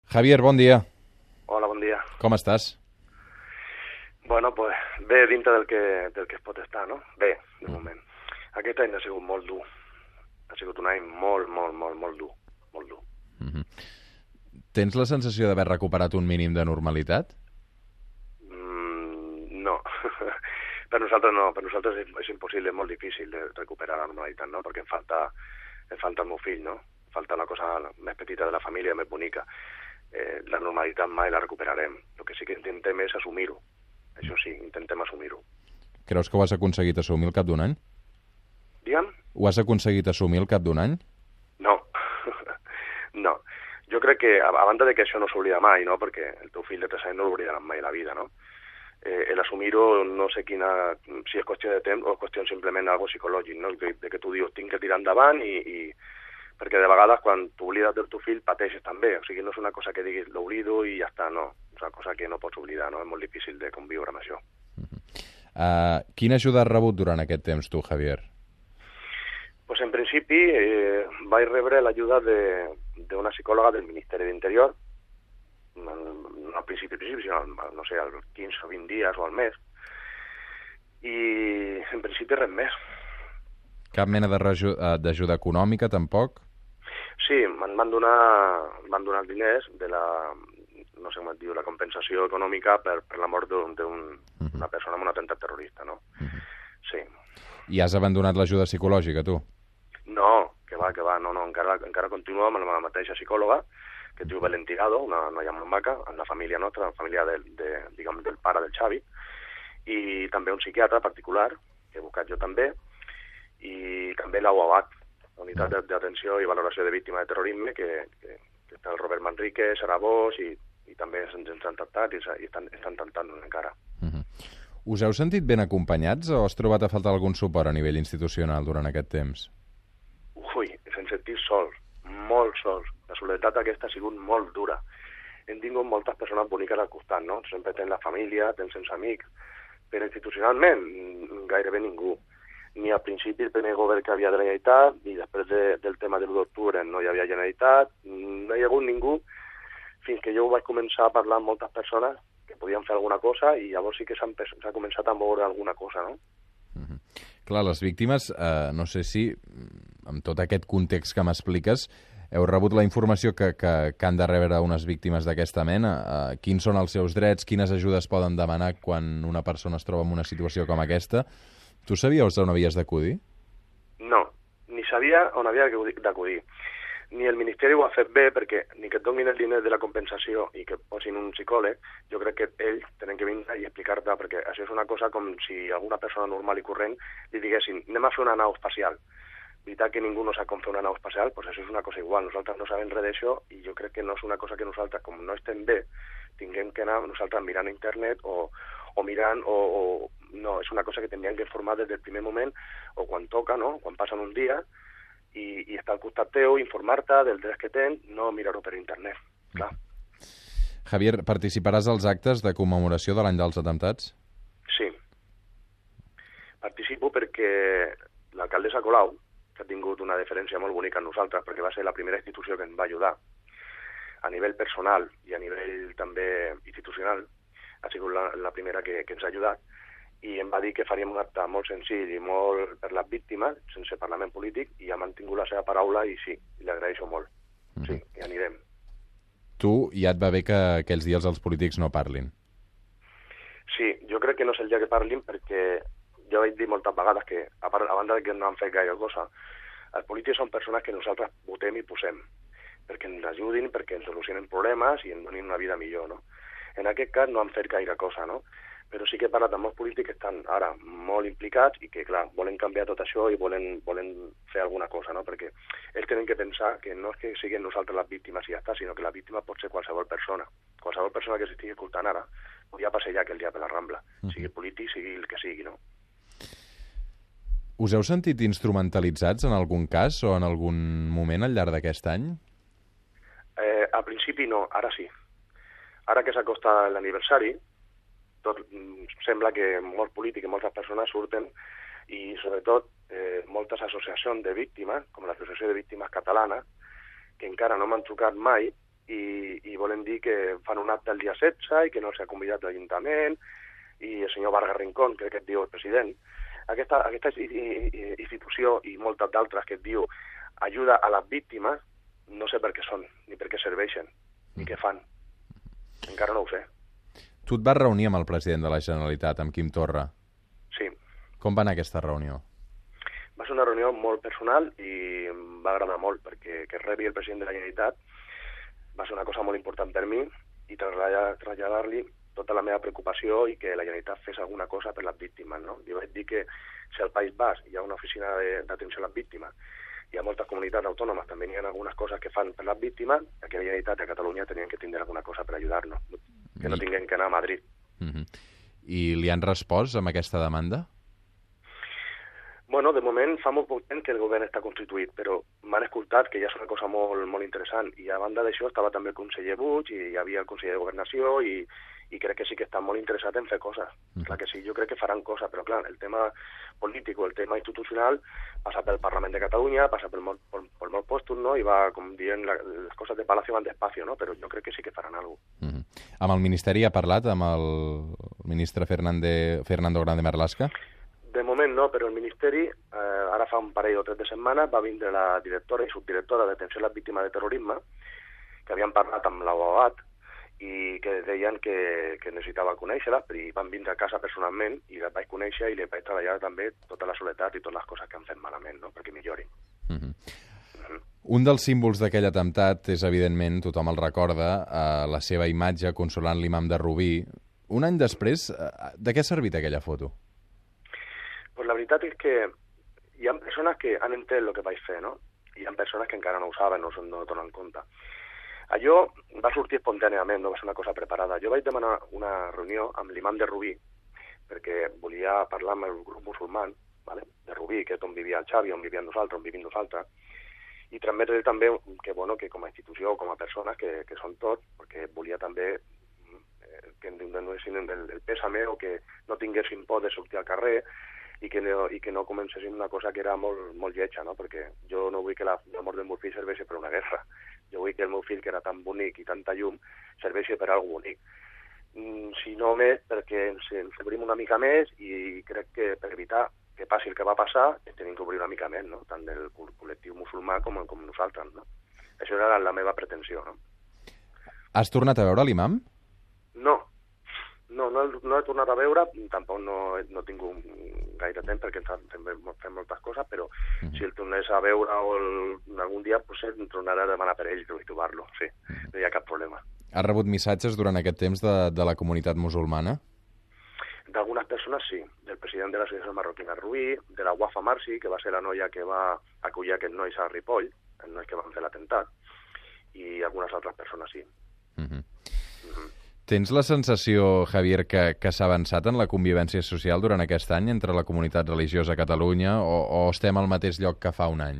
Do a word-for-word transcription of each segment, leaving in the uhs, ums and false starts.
Javier, bon dia. Hola, bon dia. Com estàs? Bueno, pues bé dintre del que, del que es pot estar, no? Bé, de mm. moment. Aquest any ha sigut molt dur. Ha sigut un any molt, molt, molt, molt dur. Molt dur. Mm-hmm. Tens la sensació d'haver recuperat un mínim de normalitat? Mm, no. Per nosaltres no. Per nosaltres és, és impossible, és molt difícil de recuperar la normalitat, no? Perquè em falta, em falta el meu fill, no? Em falta la cosa més petita de la família, més bonica. Eh, la normalitat mai la recuperarem. El que sí que intentem és assumir-ho. Això sí, intentem assumir-ho. Creus que ho has aconseguit assumir al cap d'un any? Digue'm? Ho has aconseguit assumir al cap d'un any? No. No. Jo crec que, a, a banda de que això no s'oblida mai, no? Perquè el teu fill de tres anys no l'oblidarà mai a la vida, no? Eh, el assumir-ho, no sé quina, si és qüestió de temps o és qüestió simplement algo psicològic, no? De, de que tu dius, tinc que tirar endavant i... i perquè de vegades quan t'oblides del teu fill pateixes també, o sigui, no és una cosa que diguis l'oblido i ja està, no, és una cosa que no pots oblidar, no? És molt difícil de conviure amb això. Uh-huh. Uh, quina ajuda has rebut durant aquest temps tu, Javier? Pues en principi eh, vaig rebre l'ajuda d'una psicòloga del Ministeri d'Interior, no al principi, al principi, sinó, no sé, als quinze o vint dies o al mes, i en principi res més. Cap mena d'ajuda econòmica, tampoc? Sí, em van donar, van donar diners de la, no sé com et diu, la compensació econòmica per, per la mort d'una un, uh-huh. persona amb un atemptat terrorista, no? Uh-huh. Sí. I has abandonat l'ajuda psicològica, tu? No, que va, que va, no, no, encara, encara continuo amb la mateixa psicòloga, que es diu Belén Tirado, una noia molt maca, amb la família nostra, la família del, de, diguem, del pare del Xavi, i també un psiquiatre particular, que he buscat jo també, i també la U A B A T, Unitat d'Atenció i Valoració de Víctimes de Terrorisme, que, que, que està el Robert Manrique, Sara Bosch, i, i també ens han tractat i, i estan, estan tractant-nos encara. Uh-huh. Us heu sentit ben acompanyats o has trobat a faltar algun suport a nivell institucional durant aquest temps? Ui, ens hem sentit sols, molt sols. La soledat aquesta ha sigut molt dura. Hem tingut moltes persones boniques al costat, no? Sempre tens la família, tens els amics, però institucionalment gairebé ningú. Ni al principi el primer govern que havia de la Generalitat, ni després de, del tema de l'u d'octubre no hi havia Generalitat, no hi ha hagut ningú, fins que jo vaig començar a parlar amb moltes persones que podien fer alguna cosa i llavors sí que s'ha començat a moure alguna cosa, no? Uh-huh. Clar, les víctimes, eh, no sé si, amb tot aquest context que m'expliques, heu rebut la informació que, que, que han de rebre unes víctimes d'aquesta mena? Eh, quins són els seus drets? Quines ajudes poden demanar quan una persona es troba en una situació com aquesta? Tu sabies on havies d'acudir? No, ni sabia on havia d'acudir. Ni el Ministeri ho ha fet bé, perquè ni que et donin el diner de la compensació i que posin un psicòleg, jo crec que ells tenen que vindre i explicar-te, perquè això és una cosa com si alguna persona normal i corrent li diguessin, anem a fer una nau espacial. Veritat que ningú no sap com fer una nau espacial, doncs això és una cosa igual. Nosaltres no sabem res d'això i jo crec que no és una cosa que nosaltres, com no estem bé, tinguem que anar nosaltres mirant a internet o, o mirant, o, o no, és una cosa que tindríem que informar des del primer moment o quan toca, no? Quan passen un dia i, i estar al costat teu, informar-te del dret que tens, no mirar-ho per internet, clar. Javier, participaràs als actes de commemoració de l'any dels atemptats? Sí. Participo perquè l'alcaldessa Colau, que ha tingut una deferència molt bonica amb nosaltres, perquè va ser la primera institució que ens va ajudar a nivell personal i a nivell també institucional, ha sigut la, la primera que, que ens ha ajudat, i em va dir que faríem un acte molt senzill i molt per les víctimes, sense parlament polític, i ha mantingut la seva paraula i sí, li agraeixo molt. Sí, i anirem. Tu ja et va bé que aquells dies els polítics no parlin? Sí, jo crec que no és el dia que parlin perquè jo vaig dir moltes vegades que, a, part, a banda de que no han fet gaire cosa, els polítics són persones que nosaltres votem i posem, perquè ens ajudin, perquè ens solucionen problemes i ens donin una vida millor, no? En aquest cas no han fet gaire cosa, no? Però sí que he parlat amb molts polítics que estan ara molt implicats i que, clar, volen canviar tot això i volen, volen fer alguna cosa, no? Perquè ells tenen que pensar que no és que siguin nosaltres les víctimes i ja està, sinó que la víctima pot ser qualsevol persona. Qualsevol persona que s'estigui escoltant ara podria passejar aquell dia per la Rambla, sigui polític, sigui el que sigui, no? Us heu sentit instrumentalitzats en algun cas o en algun moment al llarg d'aquest any? Eh, al principi no, ara sí. Ara que s'acosta l'aniversari, tot sembla que molts polítics i moltes persones surten i sobretot eh, moltes associacions de víctimes, com l'Associació de Víctimes Catalana, que encara no m'han trucat mai i, i volen dir que fan un acte el dia setze i que no s'ha convidat l'Ajuntament, i el senyor Vargas Rincón, crec que et diu el president. Aquesta, aquesta institució i moltes d'altres que et diu ajuda a les víctimes, no sé per què són, ni per què serveixen, ni què fan. Encara no ho sé. Tu et vas reunir amb el president de la Generalitat, amb Quim Torra. Sí. Com va anar aquesta reunió? Va ser una reunió molt personal i em va agradar molt, perquè que rebi el president de la Generalitat va ser una cosa molt important per mi i traslladar-li tota la meva preocupació i que la Generalitat fes alguna cosa per les víctimes, no? Li vaig dir que si al País Basc hi ha una oficina d'atenció a les víctimes i a moltes comunitats autònomes també hi ha algunes coses que fan per les víctimes, que la Generalitat de Catalunya tenien que tindre alguna cosa per ajudar-nos, que no tinguem que anar a Madrid. Uh-huh. I li han respost amb aquesta demanda? Bueno, de moment fa molt poc temps que el govern està constituït, però m'han escoltat, que ja és una cosa molt, molt interessant, i a banda d'això estava també el conseller Puig i hi havia el conseller de Governació i, i crec que sí que estan molt interessats en fer coses. Mm. Clar que sí, jo crec que faran coses, però clar, el tema polític o el tema institucional passa pel Parlament de Catalunya, passa pel molt, pel, pel molt postos, no? I va, com dient, la, les coses de Palacio van despacio, no? Però jo crec que sí que faran alguna cosa. Mm. Amb el Ministeri ha parlat, amb el ministre Fernande, Fernando Grande Marlaska? De moment no, però el Ministeri, eh, ara fa un parell o tres de setmanes, va vindre la directora i subdirectora d'Atenció a les Víctimes de Terrorisme, que havien parlat amb l'Abogat i que deien que, que necessitava conèixer-la, i van vindre a casa personalment i les vaig conèixer i les vaig treballar també tota la soledat i totes les coses que han fet malament, no? Perquè millorin. Uh-huh. Uh-huh. Un dels símbols d'aquell atemptat és, evidentment, tothom el recorda, eh, la seva imatge consolant l'imam de Rubí. Un any després, eh, de què ha servit aquella foto? Pues la veritat és que hi ha persones que han entès el que vaig fer, no? I hi ha persones que encara no ho saben, no, no donen compte. Allò va sortir espontàniament, no va ser una cosa preparada. Jo vaig demanar una reunió amb l'imam de Rubí, perquè volia parlar amb el grup musulman, ¿vale? De Rubí, que és on vivia el Xavi, on vivien nosaltres, on vivim nosaltres, i transmetre també que, bueno, que com a institució, com a persones, que, que són tots, perquè volia també eh, que no donessin el, el pèsame o que no tinguessin por de sortir al carrer, i que no, i que no comencéssim una cosa que era molt, molt lletja, no? Perquè jo no vull que la, la mort del meu fill serveixi per una guerra. Jo vull que el meu fill, que era tan bonic i tanta llum, serveixi per alguna bonic. Mm, si no més, perquè ens, ens obrim una mica més i crec que per evitar que passi el que va passar, tenim que obrir una mica més, no? Tant del col·lectiu musulmà com, com nosaltres, no? Això era la meva pretensió, no? Has tornat a veure l'imam? No. No, no, no he tornat a veure, tampoc no, no tinc gaire temps perquè fem, fem moltes coses, però uh-huh. si el tornés a veure o el, algun dia potser em tornaré a demanar per ell i trobar-lo, sí, no hi ha cap problema. Has rebut missatges durant aquest temps de, de la comunitat musulmana? D'algunes persones sí, del president de l'associació marroquina Rubí, de la Wafa Marci, que va ser la noia que va acollir aquests nois a Ripoll, els nois que van fer l'atemptat, i algunes altres persones sí. Uh-huh. Uh-huh. Tens la sensació, Javier, que, que s'ha avançat en la convivència social durant aquest any entre la comunitat religiosa a Catalunya o, o estem al mateix lloc que fa un any?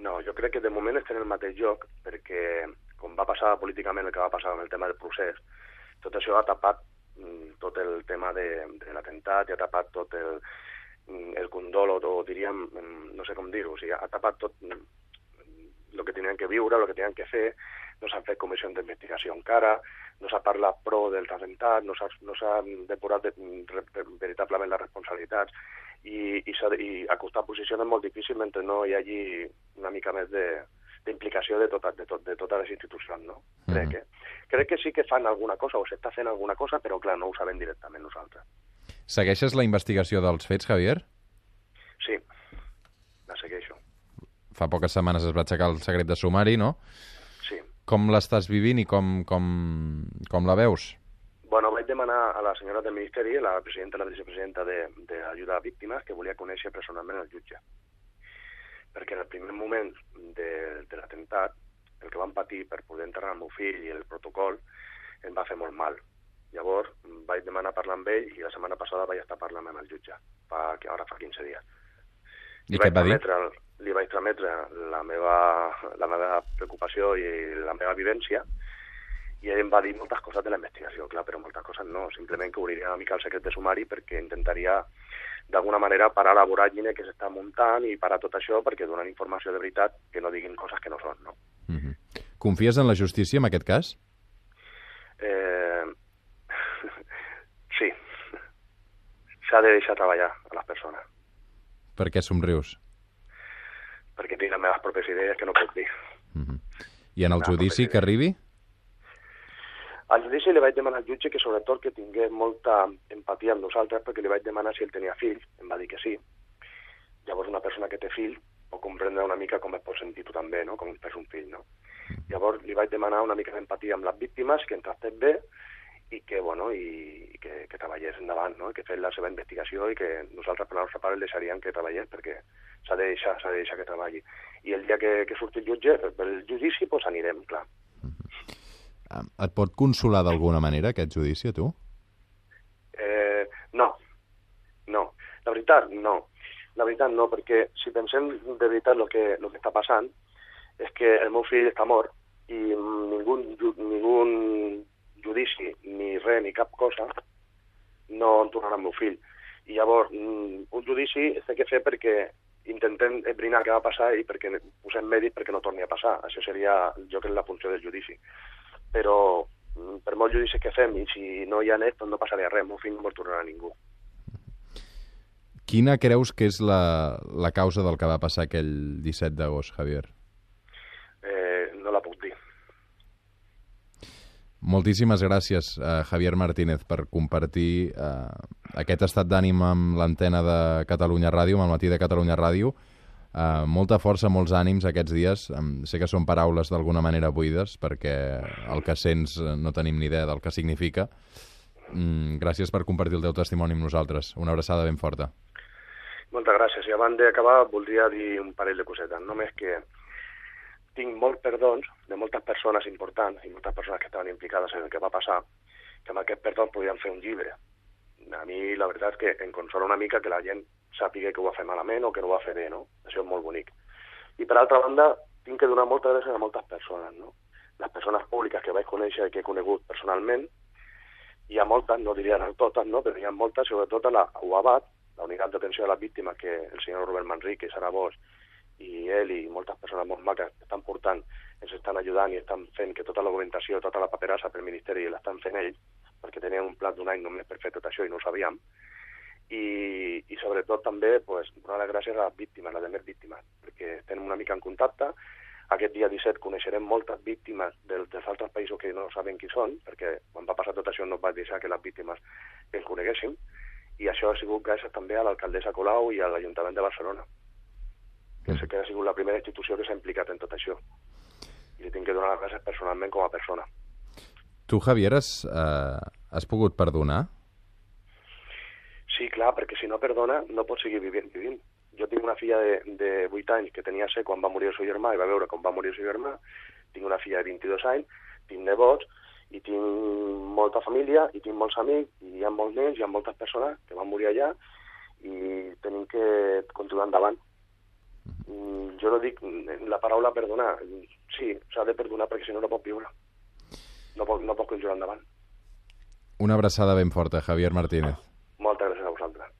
No, jo crec que de moment estem al mateix lloc perquè, com va passar políticament el que va passar amb el tema del procés, tot això ha tapat mm, tot el tema de, de l'atemptat i ha tapat tot el, el condol, o diríem, no sé com dir-ho, o sigui, ha tapat tot el que tenien que viure, el que tenien que fer, no s'han fet comissions d'investigació encara, no s'ha parlat pro dels atemptats, no s'ha no depurat de, de, de, veritablement les responsabilitats i, i, i acostar posicions és molt difícil mentre no hi hagi una mica més d'implicació de, de, tota, de, tot, de totes les institucions, no? Mm. Crec, que, crec que sí que fan alguna cosa o s'està fent alguna cosa, però clar, no ho sabem directament nosaltres. Segueixes la investigació dels fets, Javier? Sí, la segueixo. Fa poques setmanes es va aixecar el secret de sumari, no? Sí. Com l'estàs vivint i com, com, com la veus? Bueno, vaig demanar a la senyora del Ministeri, la presidenta i la vicepresidenta d'Ajuda a Víctimes, que volia conèixer personalment el jutge. Perquè en el primer moment de, de l'atemptat, el que van patir per poder enterrar el meu fill i el protocol em va fer molt mal. Llavors vaig demanar parlar amb ell i la setmana passada vaig estar parlant amb el jutge, fa, que ara fa quinze dies. I què et va dir? Li vaig trametre la meva, la meva preocupació i la meva vivència i ell em va dir moltes coses de la investigació, clar, però moltes coses no, simplement que obriria una mica el secret de sumari perquè intentaria d'alguna manera parar la voràgine que s'està muntant i parar tot això perquè donen informació de veritat que no diguin coses que no són, no? Mm-hmm. Confies en la justícia en aquest cas? Eh... sí. S'ha de deixar treballar a les persones. Per què somrius? Perquè tinc les meves pròpies idees que no puc dir. Uh-huh. I en el judici que arribi? Al judici li vaig demanar al jutge que sobretot que tingués molta empatia amb nosaltres, perquè li vaig demanar si ell tenia fills, em va dir que sí. Llavors una persona que té fill pot comprendre una mica com es pot sentir tu també, no? Com és un fill, no? Llavors li vaig demanar una mica d'empatia amb les víctimes, que en tractés bé i que, bueno, i, i que, que treballés endavant, no? I que fes la seva investigació i que nosaltres per la nostra part el deixaríem que treballés perquè s'ha de deixar, s'ha de deixar que treballi. I el dia que, que surti el jutge, el judici, doncs anirem, clar. Et pot consolar d'alguna manera aquest judici, a tu? Eh, no, no. La veritat, no. La veritat no, perquè si pensem de veritat el que, lo que està passant és que el meu fill està mort i ningú, ningú judici, ni res, ni cap cosa no en tornarà al meu fill. I llavors, un judici s'ha de fer perquè intentem esbrinar què va passar i perquè posem mèdic perquè no torni a passar. Això seria, jo crec, la funció del judici. Però per molts judicis que fem i si no hi ha net, doncs no passaria res, el meu fill no vol tornar a ningú. Quina creus que és la, la causa del que va passar aquell disset d'agost, Javier? Eh, no la puc dir. Moltíssimes gràcies, uh, Javier Martínez, per compartir uh, aquest estat d'ànim amb l'antena de Catalunya Ràdio, amb el matí de Catalunya Ràdio. Uh, molta força, molts ànims aquests dies. Um, sé que són paraules d'alguna manera buides, perquè el que sents no tenim ni idea del que significa. Mm, gràcies per compartir el teu testimoni amb nosaltres. Una abraçada ben forta. Moltes gràcies. I abans d'acabar voldria dir un parell de cosetes. Només que tinc molts perdons de moltes persones importants i moltes persones que estaven implicades en el que va passar, que amb aquest perdó podien fer un llibre. A mi la veritat és que em consola una mica que la gent sàpiga que ho va fer malament o que no ho va fer bé, no? Això és molt bonic. I per altra banda, tinc que donar moltes gràcies a moltes persones, no? Les persones públiques que vaig conèixer i que he conegut personalment, hi ha moltes, no diria totes, no? Però hi ha moltes, sobretot a la U A B A T, la unitat d'atenció a les víctimes, que el senyor Robert Manrique, Sara Bosch, i ell i moltes persones molt maques estan portant, ens estan ajudant i estan fent que tota la documentació, tota la paperassa pel Ministeri l'estan fent ells, perquè tenien un plat d'un any només per fer tot això i no ho sabíem. I, i sobretot també pues, donar les gràcies a les víctimes, a les demés víctimes, perquè estem una mica en contacte. Aquest dia disset coneixerem moltes víctimes dels, dels altres països que no saben qui són, perquè quan va passar tot això no va deixar que les víctimes els coneguéssim, i això ha sigut gràcies també a l'alcaldessa Colau i a l'Ajuntament de Barcelona, que, mm. que ha sigut la primera institució que s'ha implicat en tot això. I li tinc que donar les gràcies personalment com a persona. Tu, Javier, has, eh, has pogut perdonar? Sí, clar, perquè si no perdona no pots seguir vivint. vivint. Jo tinc una filla de, de vuit anys que tenia set quan va morir el seu germà i va veure com va morir el seu germà. Tinc una filla de vint-i-dos anys, tinc nebots i tinc molta família i tinc molts amics i hi ha molts nens, hi ha moltes persones que van morir allà i tenim que continuar endavant. Jo no dic la paraula perdonar. Sí, s'ha de perdonar perquè si no no pot viure. No pot, no pot continuar endavant. Una abraçada ben forta, Javier Martínez. Moltes gràcies a vosaltres.